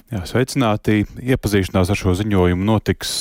Jā, sveicināti. Iepazīšanās ar šo ziņojumu notiks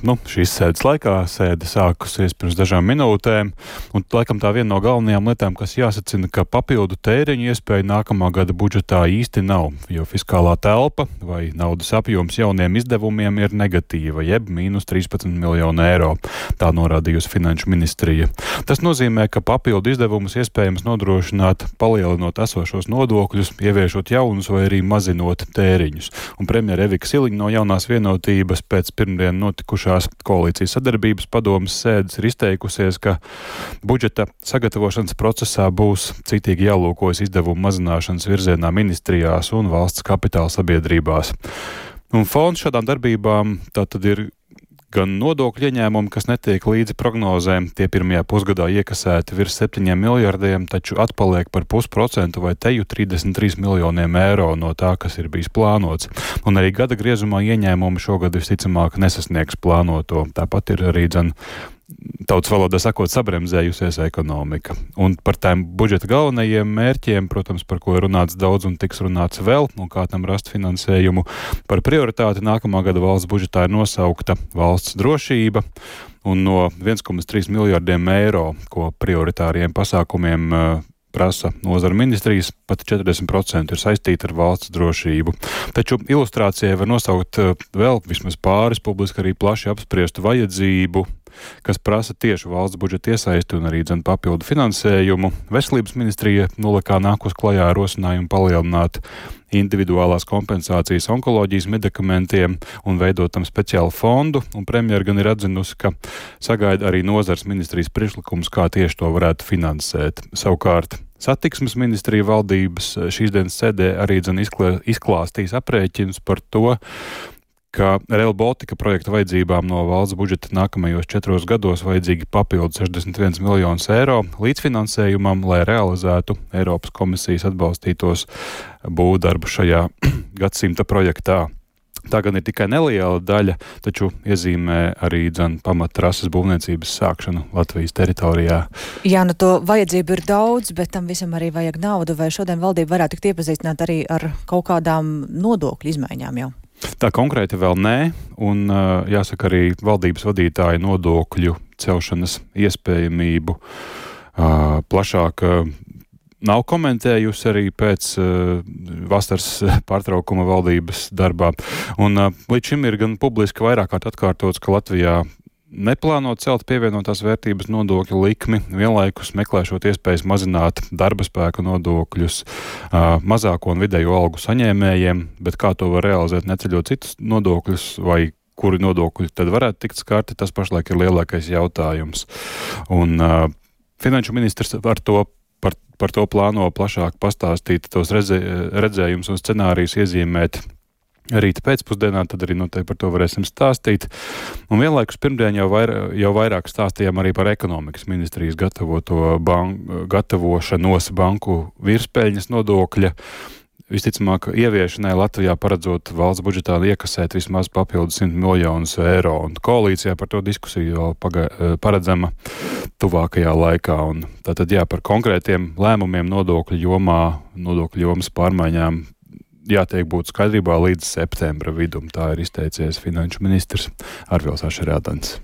šīs sēdes laikā. Sēde sākusies pirms dažām minūtēm, un laikam tā viena no galvenajām lietām, kas jāsacina, ka papildu tēriņu iespēja nākamā gada budžetā īsti nav, jo fiskālā telpa vai naudas apjoms jauniem izdevumiem ir negatīva, jeb mīnus 13 miljonu eiro. Tā norādījusi Finanšu ministrija. Tas nozīmē, ka papildu izdevumus iespējams nodrošināt, palielinot esošos nodokļus, ieviešot jaunus vai arī mazinot tēriņus. Un premjera Evika Siliņa no Jaunās vienotības pēc pirmdien notikušās koalīcijas sadarbības padomes sēdes ir izteikusies, ka budžeta sagatavošanas procesā būs citīgi jālūkojas izdevumu mazināšanas virzienā ministrijās un valsts kapitāla sabiedrībās. Un fons šādām darbībām tātad ir gan nodokļu ieņēmumi, kas netiek līdzi prognozēm, tie pirmajā pusgadā iekasēti virs 7 miljardiem, taču atpaliek par 0,5% vai teju 33 miljoniem eiro no tā, kas ir bijis plānots. Un arī gada griezumā ieņēmumi šogad visticamāk nesasniegs plānoto. Tāpat ir arī tautas valodā sakot, sabremzējusies ekonomika. Un par tām budžeta galvenajiem mērķiem, protams, par ko ir runāts daudz un tiks runāts vēl, un kā tam rast finansējumu, par prioritāti nākamā gada valsts budžetā ir nosaukta valsts drošība, un no 1,3 miljardiem eiro, ko prioritāriem pasākumiem prasa nozara ministrijas, pat 40% ir saistīti ar valsts drošību. Taču ilustrācijai var nosaukt vēl vismaz pāris publiski arī plaši apspriestu vajadzību, kas prasa tieši valsts budžeta iesaisti un arī papildu finansējumu. Veselības ministrija nolekā nākus klajā ar rosinājumu palielināt individuālās kompensācijas onkoloģijas medikamentiem un veidot tam speciālu fondu, un premjera gan ir atzinusi, ka sagaida arī nozars ministrijas priekšlikums, kā tieši to varētu finansēt. Savukārt Satiksmes ministrija valdības šīs dienas sēdē arī izklāstīs aprēķinus par to, ka Rail Baltica projekta vajadzībām no valsts budžeta nākamajos 4 gados vajadzīgi papildu 61 miljonus eiro līdzfinansējumam, lai realizētu Eiropas komisijas atbalstītos būvdarbu šajā gadsimta projektā. Tā gan ir tikai neliela daļa, taču iezīmē arī pamattrases būvniecības sākšanu Latvijas teritorijā. Jā, to vajadzību ir daudz, bet tam visam arī vajag naudu. Vai šodien valdība varētu tikt iepazīstināt arī ar kaut kādām nodokļu izmaiņām jau? Tā konkrēti vēl nē, un jāsaka arī valdības vadītāja nodokļu celšanas iespējamību plašāk nav komentējusi arī pēc vasaras pārtraukuma valdības darbā. Un līdz šim ir gan publiski vairāk kārt atkārtots, ka Latvijā neplāno celt pievienotās vērtības nodokļu likmi, vienlaikus meklēšot iespējas mazināt darba spēka nodokļus mazāko un vidējo algu saņēmējiem, bet kā to var realizēt, neceļot citus nodokļus vai kuri nodokļi tad varētu tikt skarti, tas pašlaik ir lielākais jautājums. Un finanšu ministrs par to plāno plašāk pastāstīt, tos redzējumus un scenārijus iezīmēt rīta pēcpusdienā, tad arī noteikti par to varēsim stāstīt. Un vienlaikus pirmdien jau vairāk stāstījām arī par ekonomikas ministrijas gatavošanos banku virspēļņas nodokļa. Visticamāk, ieviešanai Latvijā paredzot valsts budžetā iekasēt vismaz papildu 100 miljonus eiro, un koalīcijā par to diskusiju vēl paredzama tuvākajā laikā. Un tātad par konkrētiem lēmumiem nodokļu jomas pārmaiņām jātiek būt skaidrībā līdz septembra vidum. Tā ir izteicies finanšu ministrs Arvils Ašerādens.